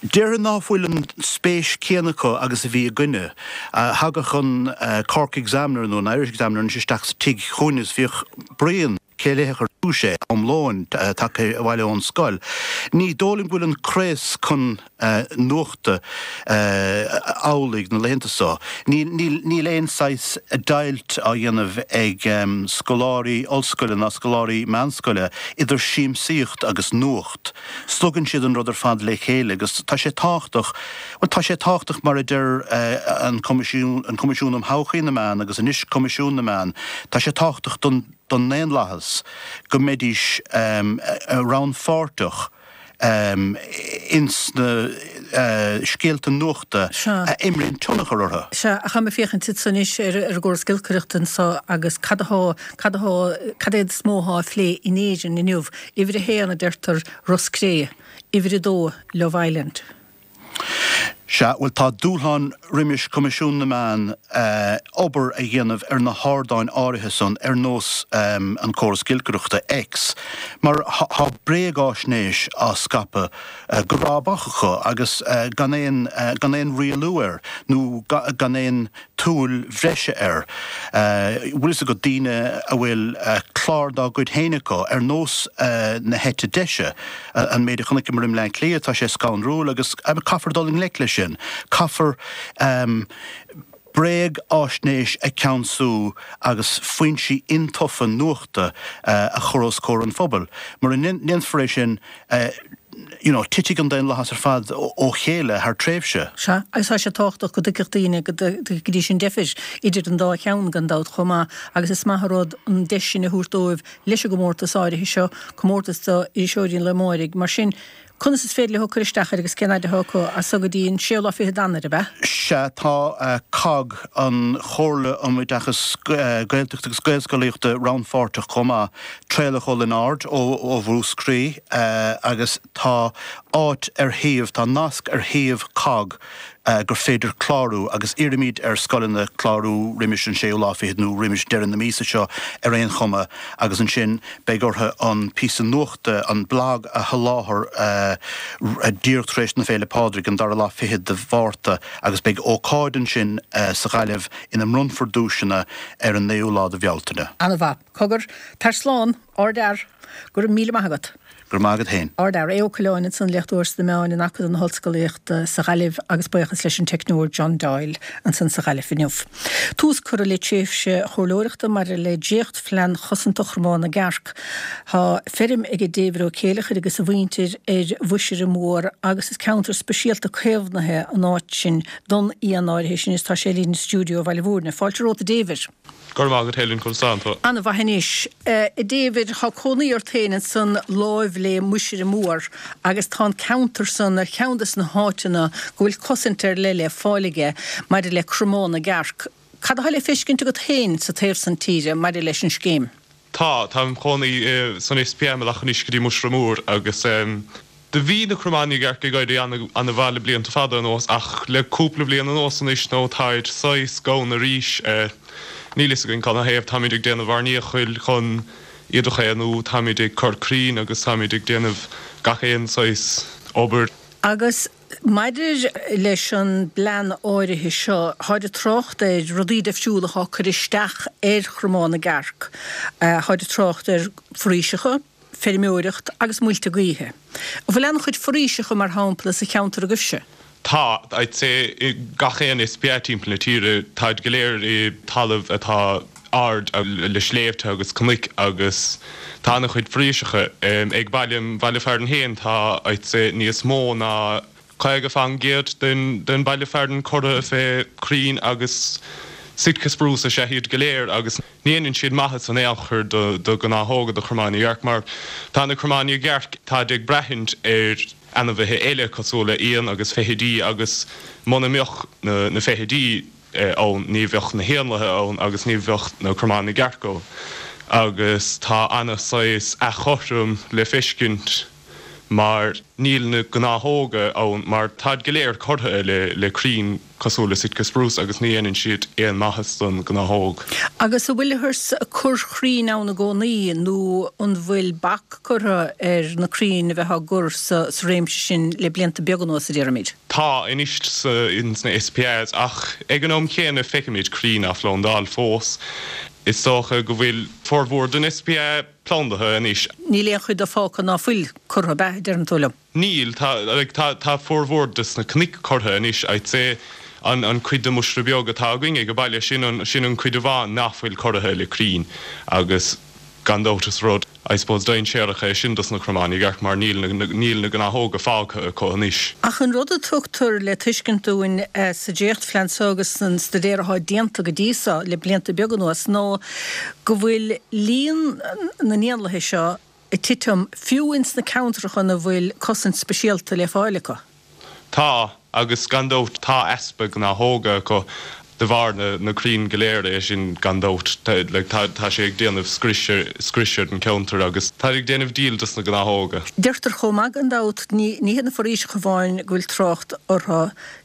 Speaker 4: Déarfainn ná fuil an spéis céanna acu agus a bhí againne. Thagadh an Cork Examiner nó an Irish Examiner anois isteach sa tigh chugainn is bhíodh bruíon cé léifeadh ar dtús é am lóin tagtha abhaile ón scoil. Ní dóigh liom go bhfuil an craos chun nuachta amhlaidh na laethanta seo. Níl aon saghas deighilt á dhéanamh ag scoláirí ollscoile ná scoláirí meánscoile idir siamsaíocht agus nuacht. Slogann siad an rud ar fad le chéile agus tá sé tábhachtach, bhuel tá sé tábhachtach mar a deir an Coimisiún, an Coimisiún um Thodhchaí na Meán agus anois Coimisiún na Meán, tá sé tábhachtach don don ndaonlathas go mbeidís rannpháirteach ins na scéalta nuachta a imríonn tionchar orthu.
Speaker 1: Sea, ach táim ag féachaint ansan anois ar an gcóras giolcaireachta anso agus cad atá, cad atá, cad é is mó atá á phlé in Éirinn inniu? Uimhir a haon a deirtear Ros Cré, uimhir a dó Love Island.
Speaker 4: Sea, bhuel tá dúshlán roimis Coimisiún na Meán obair a dhéanamh ar na hardáin áirithe san, ar nós an córas giolcaireachta X, mar tá bréagáisnéis á scaipeadh go rábach acu agus gan aon gan aon rialú air nó gan aon tsúil bhreise air. Bhfuil fhios agat, daoine a bhfuil clár dá gcuid féin acu, ar nós na heite deise, an méid a chonaiceamar i mBleá Cliath, tá sé scanrúil agus caithfear dul i ngleic leis sin. Caithfear bréagáisnéis a cheansú agus foinsí intofa nuachta a chur os comhair an phobail. Mura ndéanfar é sin, you know, titfidh an daonlathas ar fad ó chéile thar tréimhse.
Speaker 1: Sea, agus tá sé tábhachtach go dtuigfeadh daoine go dtuigfidís an deifir idir an dá cheann gan dabht chomh maith agus is maith an rud an deis sin a thabhairt dóibh leis an gcomórtas áirithe seo, comórtas d'iriseoirí an lae amáirigh. Mar sin, conas is féidir leo cur isteach air agus cén fhaid atá acu as so go dtí an séú lá fichead d'Eanáir, ab ea?
Speaker 4: Sea, tá cogg, an Chomhairle um Oideachas Gaeltachta agus Gaelscolaíochta rannpháirteach chomh maith, Traolach Ó Lionáird ó Mhúscraí agus tá áit ar shuíomh, tá nasc ar shuíomh cogg gur féidir clárú agus iarraimid ar scoileanna clárú roimis an séú lá fichead nó roimis deireadh na míosa seo ar aon chuma agus ansin beidh orthu an píosa nuachta, an blag a sholáthar díreach tar éis na Féile Pádraig, an dara lá fichead de Mhárta agus beidh ócáid ansin sa Ghaillimh ina mbronnfar duaiseanna ar an naoú lá de Bhealtaine.
Speaker 1: An-mhaith. Cogar, tar slán, ardfhear. Go raibh míle maith agat.
Speaker 4: Go raibh maith agat féin.
Speaker 1: Ardfhear. Aodh Ó Coileáin ansan, léachtóir sna meáin in Acadamh na hOllscolaíochta sa Ghaillimh agus buíochas leis an teicneoir John Doyle ansan sa Ghaillimh inniu. Tús curtha le tréimhse chomhairleoireachta maidir le dréachtphlean chosanta Chromán na gCearc. Tá feirm ag David Ó Céileachair agus a mhuintir ar Mhuisire Mór agus is ceantar speisialta caomhnaithe an áit sin don éan áirithe sin is tá sé linn i stiúideo Bhaile Mhúirne. Fáilte romhat a David.
Speaker 5: Go raibh maith agat Helen, conas tánn tú?
Speaker 1: An-mhaith anois. A David, tá cónaí ort féin ansan láimh le Muisire Mór agus tá an ceantar san ar cheann des na háiteanna go bhfuil cosaint ar leith le fáil aige maidir le cromán na gcearc. Cad atá le feiscint agat féin sa taobh san tíre maidir leis an scéim?
Speaker 5: Tá, táim im chónaí san S P A imeallach anois go dtí Muisire Mór agus do bhí na cromáin na gcearc ag éirí an-mhaith le blianta fada anuas ach le cúpla bliain anuas anois nó táid saghas gann arís. Níl fhios againn canathaobh, táimid ag déanamh ár ndíchill chun iad a chaomhnú, táimid ag cur crainn agus táimid ag déanamh gach aon saghas obair.
Speaker 1: Agus maidir leis an bplean áirithe seo, táid ag trácht ar rudaí difriúla atá cur isteach ar chromán na gcearc. Táid ag trácht ar foraoiseacha, feirmeoireacht agus muilte gaoithe. An bhfuil an-chuid foraoiseacha mar shampla sa cheantar agaibhse?
Speaker 5: Tá, I'd say i gach aon S P A timpeall na tíre, táid go léir i talamh atá ard le sléibhte agus cnoic agus tá an-chuid foraoiseacha. Ag baile, baile fearainn féin tá, I'd say, níos mó ná caoga faoin gcéad den den baile fearainn curtha fé crainn agus Sitka spruce is ea iad go léir agus ní dhéanann siad maitheas in aon chor do do gnáthóga do chromáin na gcearc mar tá na cromáin na gcearc táid ag braithint ar ainmhithe eile cosúil le éin agus feithidí agus muna mbeadh na na feithidí ann ní bheadh na héanlaithe ann agus ní bheadh na cromáin na gcearc ann agus tá ana saghas éagothrom le feiscint mar níl na gnáthóga ann mar táid go léir curtha le le crainn cosúil le Sitka spruce agus ní dhéanann siad aon maitheas don gnáthóg.
Speaker 1: Agus an bhfuilthear ag cur crainn ann i gcónaí nó an bhfuil bac curtha ar na crainn a bheith á gcur sa réimse sin le blianta beaga anuas, a déarfaimid?
Speaker 5: Tá anois ins na SPAs ach ag an am chéanna feicimid crainn á phlandáil fós. Is dócha go bhfuil formhór den SPA plandaithe anois.
Speaker 1: Níl aon chuid de fágtha ná fuil curtha, ab ea, deireann tú liom?
Speaker 5: Níl, tá like tá tá formhór des na cnoic curtha anois, I'd say an an cuid de Mhuisire Beag atá againn ag an baile sin an sin an cuid amháin nach bhfuil curtha le crainn agus gan dabht is rud I suppose dainséarach é sin dos na cromáin na gcearc mar níl na níl na gnáthóga fágtha acu anois.
Speaker 1: Ach an rud a tugtar le tuiscint dúinn sa dréachtphlean seo agus san staidéar atá déanta go dtí seo le blianta beaga anuas ná go bhfuil líon na n-éanlaithe seo ag titim fiú ins na ceantracha ina bhfuil cosaint speisialta le fáil acu.
Speaker 5: Tá, agus gan dabht tá easpa gnáthóga acu de bharr na na crainn go léir é sin gan dabht like tá tá sé ag déanamh scrios scrios ar an ceantar agus tá ag déanamh díl dos na gnáthóga.
Speaker 1: Deirtear chomh maith gan dabht ní ní hiad na foraoiseacha amháin go bhfuil trácht orthu,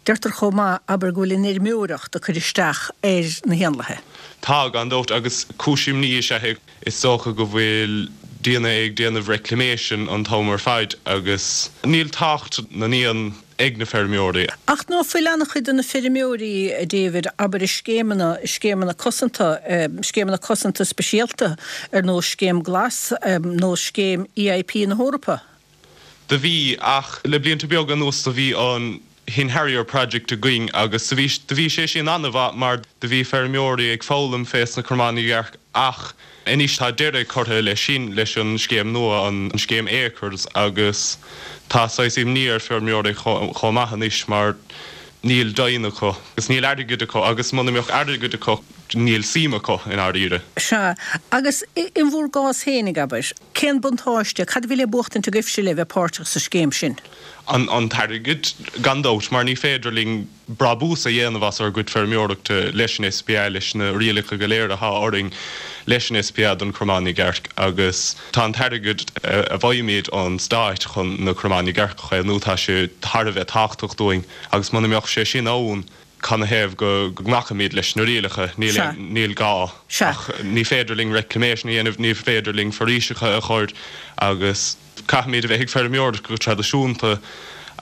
Speaker 1: deirtear chomh maith abair go bhfuil an fheirmeoireacht ag cur isteach ar na héanlaithe.
Speaker 5: Tá gan dabht agus cúis imní is ea é. Is dócha go bhfuil daoine ag déanamh reclamation an t-am ar fad agus níl tábhacht na n-éan ag na feirmeoirí.
Speaker 1: Ach ná fuil an-chuid de na feirmeoirí, a David, abair i scéimeanna, i scéimeanna cosanta, scéimeanna cosanta speisialta ar nós Scéim Glas nó Scéim EIP na hEorpa?
Speaker 5: Do bhí, ach le blianta beaga anuas do bhí an Hen Harrier Project againn agus do bhí, do bhí sé sin an-mhaith mar do bhí feirmeoirí ag foghlaim fés na cromáin na gcearc ach anois tá deireadh curtha leis sin leis an scéim nua, an scéim Acres agus tá saghas imní ar feirmeoirí chomh maith anois mar níl daoine acu agus níl airgead acu agus muna mbeadh airgead acu níl suim acu i ndáiríre.
Speaker 1: Sea, agus in bhur gcás féinig, abair, cén buntáiste, cad a bhí le buachtaint agaibhse le bheith páirteach sa scéim sin?
Speaker 5: An an t-airgead, gan dabht, mar ní féidir linn brabús a dhéanamh as ár gcuid feirmeoireachta leis an SPA, leis na rialacha go léir atá orainn leis an SPA don chromán i gcearc agus tá an t-airgead a bhfaighimid ón stát chun na cromáin na gcearc a chaomhnú, tá sé thar a bheith tábhachtach dúinn agus muna mbeadh sé sin ann, canathaobh go nglacfaimid leis na rialacha? Níl níl gá. Ach ní féidir linn reclamation a dhéanamh, ní féidir linn foraoiseacha a chur agus caithfimid a bheith ag feirmeoireacht go traidisiúnta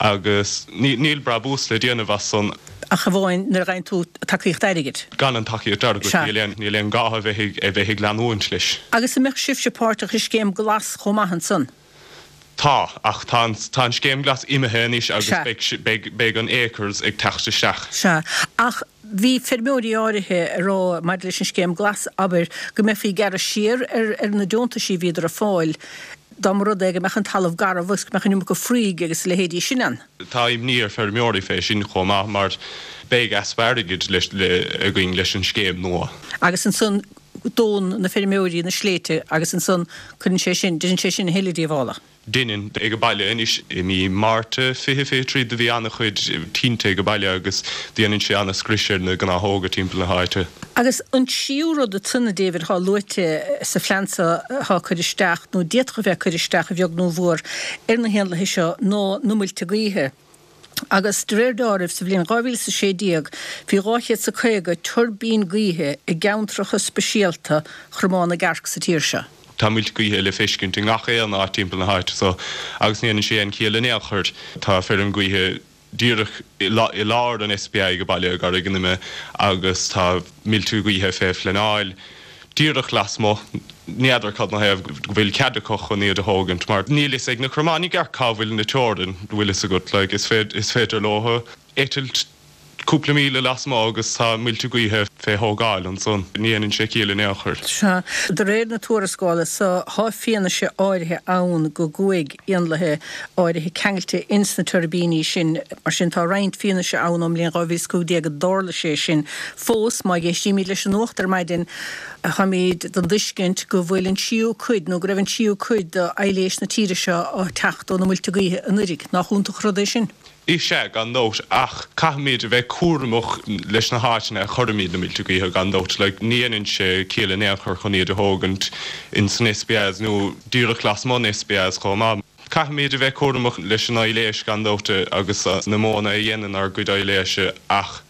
Speaker 5: agus níl brabús le déanamh as san.
Speaker 1: Ach amháin nuair a fhaigheann tú tacaíocht airgid.
Speaker 5: Gan an tacaíocht airgid níl aon níl aon gá a bheith a bheith ag leanúint leis.
Speaker 1: Agus an mbeadh sibhse páirteach i scéim Glas chomh maith ansan?
Speaker 5: Tá, ach tá an tá an scéim Glas imithe anois agus beidh beidh beidh an Acres ag teacht isteach.
Speaker 1: Sea, ach bhí feirmeoirí áirithe ag rá maidir leis an scéim Glas, abair, go mbeifí ag gearradh siar ar ar na deontaisí a bhíodar ag fáil dá mba rud é go mbeadh an talamh garbh agus go mbeadh an iomarca fraoigh agus a leithéidí sin ann.
Speaker 5: Tá imní ar feirmeoirí fé sin chomh maith mar beidh easpa airgid leis le againn leis an scéim nua.
Speaker 1: Agus ansan dónn na feirmeoirí na sléibhte agus ansan cuireann sé sin, déanann sé sin a thuilleadh díobhála.
Speaker 5: Déanann ag an baile anois i mí Márta fiche fiche trí do bhí an-chuid tinte ag an baile agus déanann sé an-scrios ar na gnáthóga timpeall na háite.
Speaker 1: Agus an tríú rud ansan, a David, atá luaite sa phlean seo atá curtha isteach, nó d'fhéadfadh a bheith curtha isteach a bheag nó a mhór ar na héanlaithe seo, ná na muilte gaoithe. Agus de réir dealraimh, sa bhliain dhá mhíle is a sé déag, bhí dhá chéad is a caoga tuirbín gaoithe i gceantracha speisialta Chromán na gCearc sa tír seo.
Speaker 5: Tá muilte gaoithe le feiscint i ngach aon áit timpeall na háite so agus ní dhéanann sé aon chiall in aon chor. Tá feirm gaoithe díreach i lár an SPA ag an baile i gCarraig an Ime agus tá muilte gaoithe fé phleanáil díreach lasmuigh. N'fheadar cad 'na thaobh go bhfuil cead acu chun iad a thógaint mar níl fhios ag na cromáin i gceart cá bhfuil na teorainn, bhfuil fhios agat, like is féidir leo eitilt. cúpla míle lasmuigh agus tá muilte gaoithe fé thógáil ansan. Ní dhéanann sé ciall in aon chor.
Speaker 1: Sea. De réir na tuarascála so, thá fianaise áirithe ann go gcuaigh éanlaithe áirithe ceangailte ins na tuirbíní sin. Mar sin, tá roinnt fianaise ann ón mbliain dhá mhíle is cúig déag go dtarla sé sin. Fós, má éistímid leis an nuacht ar maidin, táimid den dtuiscint go bhfuil an tríú cuid, nó go raibh an tríú cuid d'aidhléis na tíre seo á teacht ó na muilte gaoithe anuiridh. Nach iontach an rud é sin?
Speaker 5: Is ea, gan dabht, ach caithfimid a bheith cúramach leis na háiteanna a chuirimid na muilte gaoithe, gan dabht. Like, ní dhéanann sé ciall in aon chor chun iad a thógaint in san SPS nó díreach lasmuigh an SPS chomh maith. Caithfimid a bheith cúramach leis an aibhléis, gan dabht, agus na modhanna a dhéanann ár gcuid aibhléise, ach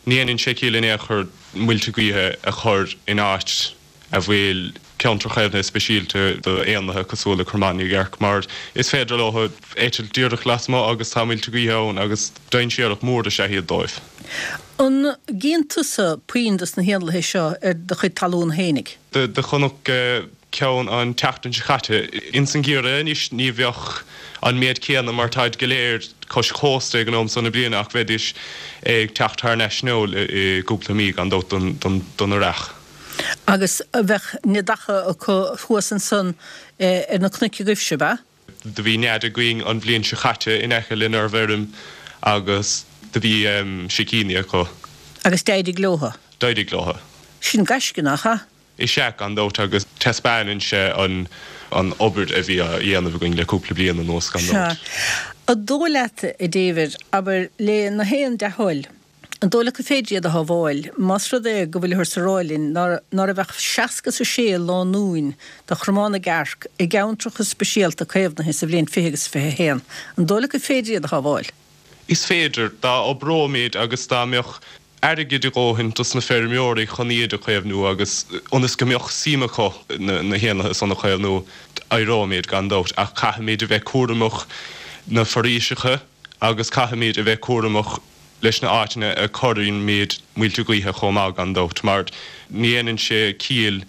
Speaker 5: ní dhéanann sé ciall in aon chor muilte gaoithe a chur in áit a bhfuil ceantar caomhnaithe speisialta do éanlaithe cosúil le Cromán na gCearc mar is féidir leo eitilt díreach lasmuigh agus tá muilte gaoithe ann agus dainséarach mór is ea iad dóibh.
Speaker 1: An gcíonn tusa puinn dos na héanlaithe seo ar do chuid talún fhéinig?
Speaker 5: Do chonac ceann an tseachtain seo caite. Ins an gheimhreadh anois ní bheadh an méid céanna mar táid go léir cois cósta ag an am so na bliana ach bheidís ag teacht thar n-ais anall i gcúpla mí gan dabht don earrach.
Speaker 1: Agus bheadh neadacha acu thuas ansan ar na cnoic agaibhse, ab ea?
Speaker 5: Do bhí nead againn an bhliain seo caite in aice lenár bhfeirm agus do bhí sicíní acu.
Speaker 1: Agus d'éirigh leotha?
Speaker 5: D'éirigh leotha.
Speaker 1: Sin gaisce, nach ea?
Speaker 5: Is ea, gan dabht, agus taispeánann sé an an obair a bhí á dhéanamh againn le cúpla bliain anuas, gan
Speaker 1: Sea.
Speaker 5: dabht.
Speaker 1: An dóigh leat, a David, abair, le na héin dea-thoil, An dóigh leat gur féidir iad a shábháil, más rud é go bhfuilthear ag rá linn ná raibh ach seasca is a sé lánúin de chromán na gcearc i gceantracha speisialta caomhnaithe sa bhliain fiche agus fiche a haon, an dóigh leat gur féidir iad a shábháil?
Speaker 5: Is féidir, dá oibreoimid agus dá mbeadh airgead a dhóthain dos na feirmeoirí chun iad a chaomhnú agus ionas go mbeadh suim acu na héanlaithe san a chaomhnú, éireoimid gan dabht ach caithfimid a bheith cúramach na foraoiseacha agus caithfimid a bheith cúramach leis na áiteanna a cuirimid muilte gaoithe chomh maith gan dabht, mar ní dhéanann sé ciall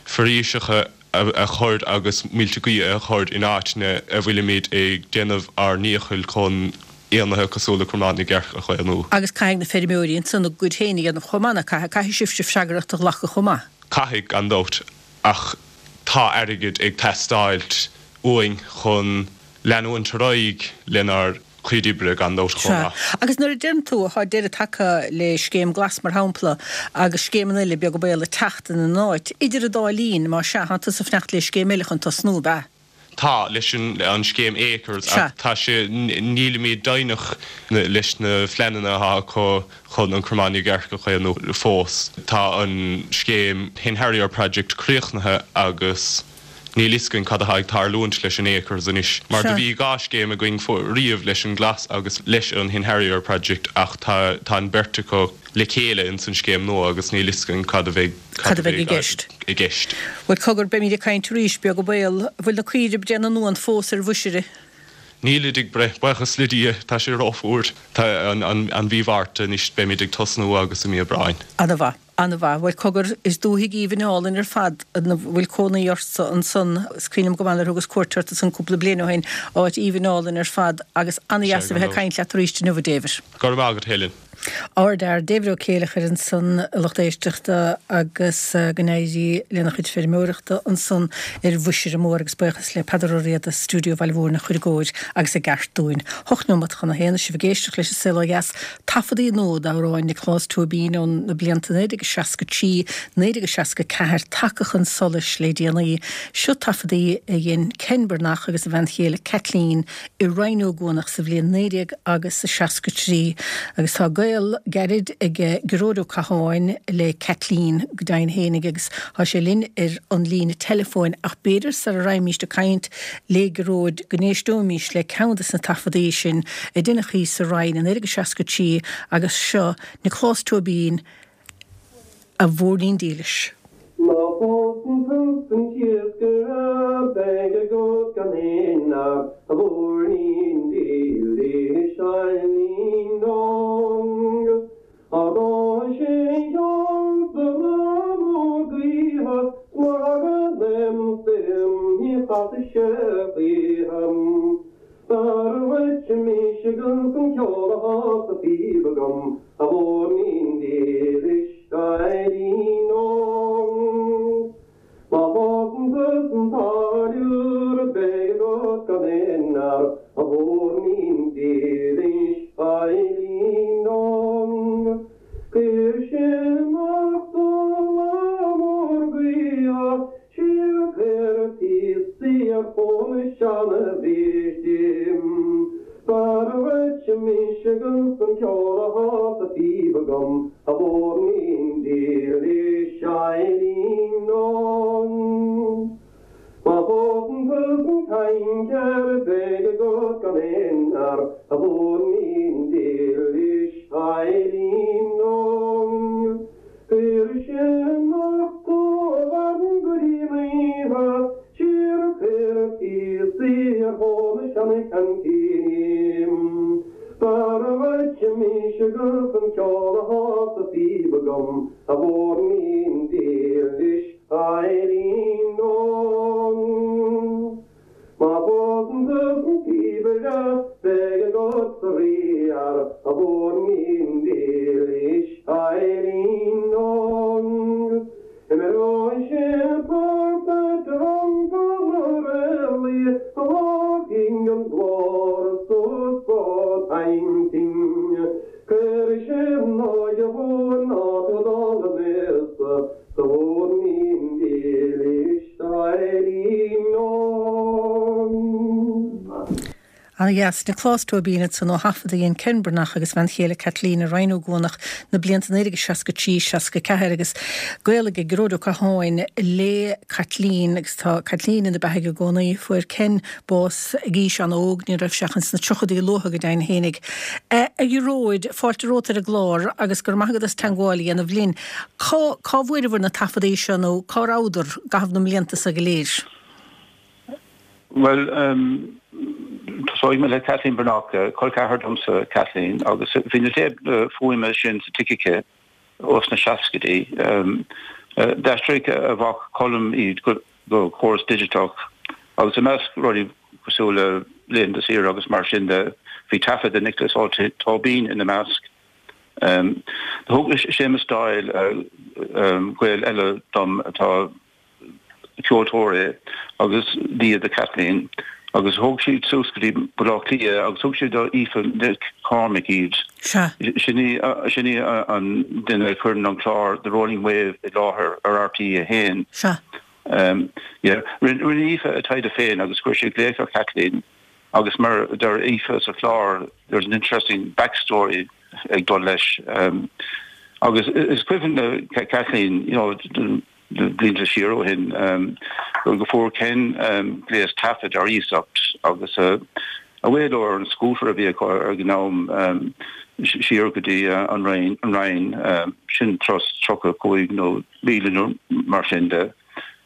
Speaker 5: foraoiseacha a chur agus muilte gaoithe a chur in áiteanna a bhfuilimid ag déanamh ár ndíchill chun éanlaithe cosúil le cromán na gcearc a chaomhnú.
Speaker 1: Agus caithfidh na feirmeoirí ansan a gcuid féin a dhéanamh chomh maith, nach caithfidh? Caithfidh sibhse freagracht a ghlacadh chomh maith.
Speaker 5: Caithfidh, gan dabht, ach tá airgead ag teastáilt uainn chun leanúint ar aghaidh lenár gcuid oibre gan dabht chomh
Speaker 1: Sea.
Speaker 5: maith.
Speaker 1: Agus nuair a deireann tú, thá deireadh tagtha le Scéim Glas, mar shampla, agus scéimeanna eile, beag an baol, ag teacht ina n-áit, idir an dá linn, más ea, thánn tusa ag fanacht le scéim eile chun tosnú, ab ea?
Speaker 5: Tá, leis an scéim Acres,
Speaker 1: Sea.
Speaker 5: ach tá sé, nílimid deimhneach leis na phleananna atá acu chun an Cromán na gCearc a chaomhnú fós. Tá an scéim Hen Harrier Project críochnaithe agus níl fhios againn cad atá ag tarlúint leis an Acres anois, mar do
Speaker 1: Sea.
Speaker 5: bhí dhá scéim againn riamh leis an Glas agus leis an Hen Harrier Project ach tá tá an beirt acu le chéile ins an scéim nua agus níl fhios againn cad a bheidh
Speaker 1: Cad a bheidh i gceist.
Speaker 5: i gceist.
Speaker 1: Bhuel, cogar, beimid ag caint arís, beag an baol. Bhfuil na caoirigh ag breith na n-uan fós ar Mhuisire?
Speaker 5: Nílid ag breith, buíochas le Dia, tá sé rófhuar. Tá an an an mhí Mhárta anois, beimid ag tosnú agus i mí Aibreáin.
Speaker 1: Ana-mhaith. Ana-mhaith. Bhuel, cogar, is dúthaigh aoibhinn álainn ar fad ina bhfuil cónaí ortsa ansan. Is cuimhin liom go maith nuair a thugas cuairt ort ansan cúpla bliain ó shin. Áit aoibhinn álainn ar fad agus ana-dheas
Speaker 5: Sea,
Speaker 1: a
Speaker 5: gan
Speaker 1: bheith ag
Speaker 5: dabht.
Speaker 1: caint leat arís inniu, a David.
Speaker 5: Go raibh maith agat, Helen.
Speaker 1: Ár bhfear David Ó Céileachair ansan, a lucht éisteachta, agus go n-éirí lena chuid feirmeoireachta ansan ar Mhuisire Mór agus buíochas le Peadar Ó Riada, Stiúideo Bhaile Mhúirne a chuir i gcóir agus i gceart dúinn. Hocht nóimeat chun a haon, is sibh ag éisteacht leis an Saol Ó Dheas, taifeadaí nua d'amhráin Nioclás Tóibín ó na blianta naoi déag seasca trí, naoi déag seasca ceathair tagtha chun solais le déanaí. Seo taifeadaí a dhein Ken Breathnach agus a bhean chéile Kathleen i Rinn Ó gCuanach sa bhliain naoi déag agus a seasca trí agus tá gaol gairid ag Gearóid Ó Catháin le Kathleen go deimhin fhéinig agus tá sé linn ar an líne teileafóin ach b'fhéidir sara raghaimíst ag caint le Gearóid go n-éisteoimís le ceann de na taifeadaí sin a deineadh thíos sa Rinn i naoi déag seasca trí agus seo Nioclás Tóibín A Mhúirnín Dílis.
Speaker 6: Má phósann tú san t-iascaire beidh agat gan aon fhear, a mhúirnín dílis ailín dong. Á dá sé sheolta na mór gaoithe 's mura thaga lem suim ní chasfaidh sé choíche. B'fhearr dhuit dhuitse mise agus an ceol atá sa phíb agam, a mhúirnín dílis Eilín Óg. Má phósann tusa an táilliúir beidh agat gan aon fhear, a mhúirnín dílis Eilín Óg. Cuir sé amach dom lá mór gaoithe, siar cuir píosaí ar thóin na seana-bhrístí. B'fhearr dhuitse mise agus an ceol atá sa phíb agam, a mhúirnín dílis Eilín Óg. Má phósann tusa an cadhncéir beidh agat gan aon fhear, a mhúirnín dílis Eilín Óg. Cuir sé amach do bhean go dtí an oíche, siar cuir píosaí ar thóin na seana-cheaincíní. B'fhearr dhuitse mise agus an ceol atá sa phíb agam, a mhúirnín dílis Eilín Óg. Má phósann tusa an píobaire beidh agat sa rí fhear, a mhúirnín dílis Eilín Óg. Imreoidh sé port duit ar an bPanarelli, a fhágfaidh an glór suas go Daingean. Cuirfidh sé an óige mhór ná tú dul aníos, sa mhúirnín dílis Eilín Óg.
Speaker 1: Ana-dheas, Nioclás Tóibín ansan ó thaifead a dhein Ken Breathnach agus bhean chéile Caitlín i Rinn Ó gCuanach na blianta naoi déag seasca trí, seasca ceathair agus gaol ag Gearóid Ó Catháin le Caitlín agus tá Caitlín ina beathaidh i gcónaí. Fuair Ken bás ag aois an-óg, ní raibh sé ach ins na tríochaidí luatha go deimhin fhéinig. A Ghearóid, fáilte romhat ar an gclár agus go raibh maith agat as teagmháil a dhéanamh linn. Cá cá bhfuaireabhair na taifeadaí seo nó cá rabhadar i gcaitheamh na mblianta seo go léir?
Speaker 7: Bhuel, tosóidh mé le Kathleen Breathnach, col ceathar domsa Kathleen, agus bhí na téip fuaime sin sa tigh aici ós na seascaidí. D'aistrigh a mhac Colm iad go córas digiteach agus i measc rudaí cosúil le laethanta saoire agus mar sin de, bhí taifead de Nioclás Ó Tóibín ina measc. Thug Séamus Doyle, gaol eile dom atá ceoltóir é agus nia do Kathleen, agus thóg siad suas go dtí Baile Átha Cliath agus thug siad do Aoife Nic Cormaic iad. Sin í sin í an duine a chuireann an clár The Rolling Wave i láthair ar RTÉ a haon.
Speaker 1: Sea.
Speaker 7: Yeah. Rinne Aoife a taighde féin agus chuir sí glaoch ar Kathleen agus mar a deir Aoife sa chlár there's an interesting backstory ag dul leis. Agus is cuimhin le Kathleen, you know, blianta siar ó shin, go bhfuair Ken gléas taifid ar iasacht agus a mhaoló ar an scooter a bhí acu ag an am siar go dtí an Rinn, sin turas tríocha cúig nó míle nó mar sin de.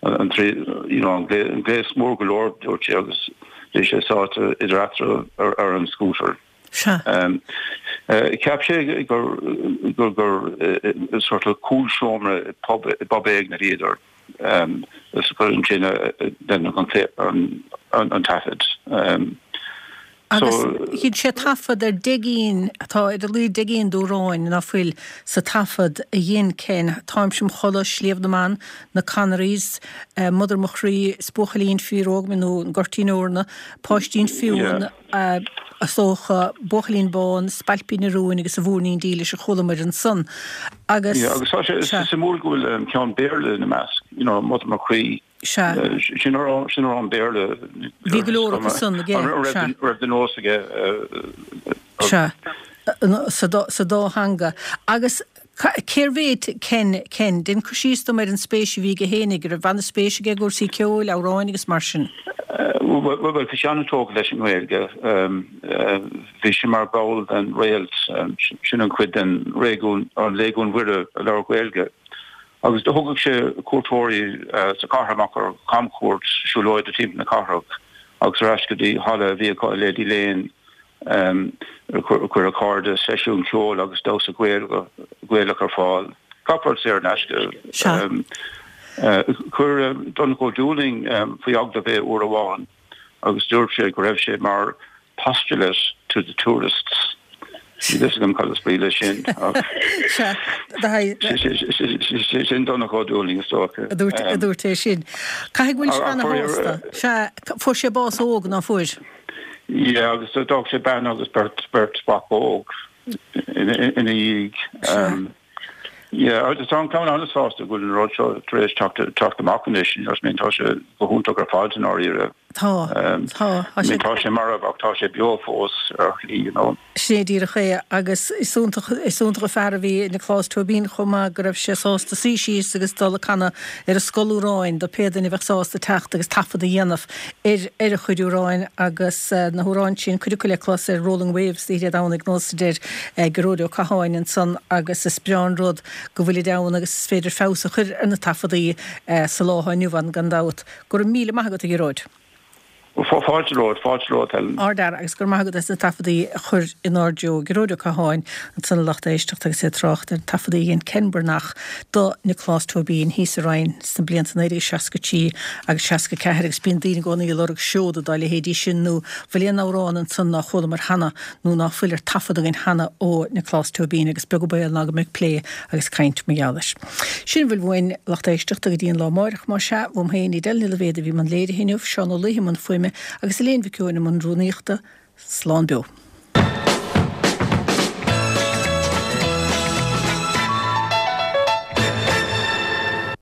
Speaker 7: An gléas mór go leor, dúirt sé, agus bhí sé sáite idir eatarthu ar an scooter.
Speaker 1: Sea.
Speaker 7: Cheap sé gur gur sort of cúlseomra i bpub i bpub éigin a bhíodar is gur ansin a deineadh an an taifead.
Speaker 1: Agus dhein sé taifead ar deich gcinn, atá ar a laghad deich gcinn d'amhráin ná fuil sa taifead a dhein Ken, Táimse im Chodladh, Sliabh na mBan, Na Connerys, Mother mo Chroí, 'S Buachaillín Fíor-Óg Mé nó An Goirtín Eorna, Páistín Fionn, is dócha, Buachaillín Bán, Spailpín an Rúin agus A Mhúirnín Dílis a chualamar ansan. Agus.
Speaker 7: Yeah, agus tá sé suimiúil go bhfuil ceann Béarla ina measc, you know, Mother mo Chroí.
Speaker 1: Sea.
Speaker 7: Sin amhrán Béarla.
Speaker 1: Bhí go leor acu san aige,
Speaker 7: sea. Raibh de nós aige.
Speaker 1: Sea, sa dá theanga. Agus cérbh é Ken, Ken? Déan cur síos dom ar an spéis a bhí aige fhéinig, an raibh an-spéis aige i gcúrsaí ceoil, amhráin agus mar sin?
Speaker 7: Bhuel, bhí sé an-tógtha leis an nGaeilge. Bhí sé mar bhall den Réalt, sin an chuid den Réigiún, an Léigiún Mhuire a labhair Gaeilge. Agus do thugadh sé cuairteoirí sa chathair amach ar chamchuairt siúlóide timpeall na cathrach agus ar ais go dtí halla a bhí acu i Lady Lane. Chuir a chairde seisiún ceoil agus damhsa Gaelach ar fáil. Gach rud saor in aisce. Chuir Donncha Ó Dúlaing faoi agallamh é uair amháin agus dúirt sé go raibh sé mar postulate to the tourists. Níl fhios agam cad is brí leis sin. Sin Donncha Ó Dúlaing is dócha.
Speaker 1: A dúirt é sin. Caithfidh go bhfuil sé ana-shásta. Sea, fuair sé bás óg, ná fuair?
Speaker 7: Yeah, agus d'fhág sé bean agus beirt beirt mhac óg ina dhiaidh. Yeah, agus tá an clann an-sásta go bhfuil an rud seo tar éis teacht amach anois, you know what I mean, tá sé go hiontach ar fad i ndáiríre.
Speaker 1: Tá, tá,
Speaker 7: tá sé. Tá sé marbh ach tá sé beo fós ar shlí, you know.
Speaker 1: Sin é díreach é agus is iontach, is iontach an fear a bhí i Nioclás Tóibín chomh maith go raibh sé sásta suí síos agus dul ag canadh ar an scoil amhráin do pé duine a bheadh sásta teacht agus taifead a dhéanamh ar ar a chuid amhráin agus na hamhráin sin, cuid acu le clos ar Rolling Waves oíche Dé Domhnaigh nós a deir Gearóid Ó Catháin ansan agus is breá an rud go bhfuilid ann agus is féidir feabhas a chur ar na taifeadaí sa lá atá inniu ann gan dabht. Go raibh míle maith agat a Ghearóid.
Speaker 7: Fáilte romhat, fáilte romhat Helen.
Speaker 1: Ard-fhear agus go raibh maith agat as na taifeadaí a chur inár dtreo. Gearóid Ó Catháin ansan a lucht éisteachta agus é ag trácht ar na taifeadaí a dhein Ken Breathnach do Nioclás Tóibín thíos sa Rinn sna blianta naoi déag seasca trí agus seasca ceathair agus bíonn daoine i gcónaí ag lorg seoda dá leithéidí sin nó bhfuil aon amhrán ansan nár chualamar cheana nó ná fuil ar taifead againn cheana ó Nioclás Tóibín agus beag an baol ná go mbeidh plé agus caint mar gheall air. Sin a bhfuil uainn, lucht éisteachta, go dtí an lá amáireach, más ea, uaim féin, Edel Ní Loibhéad a bhí i mbun léirithe inniu, Seán Ó Laoithe i mbun fuaime agus Elaine Mhic Eoin i mbun rúnaíochta. Slán beo.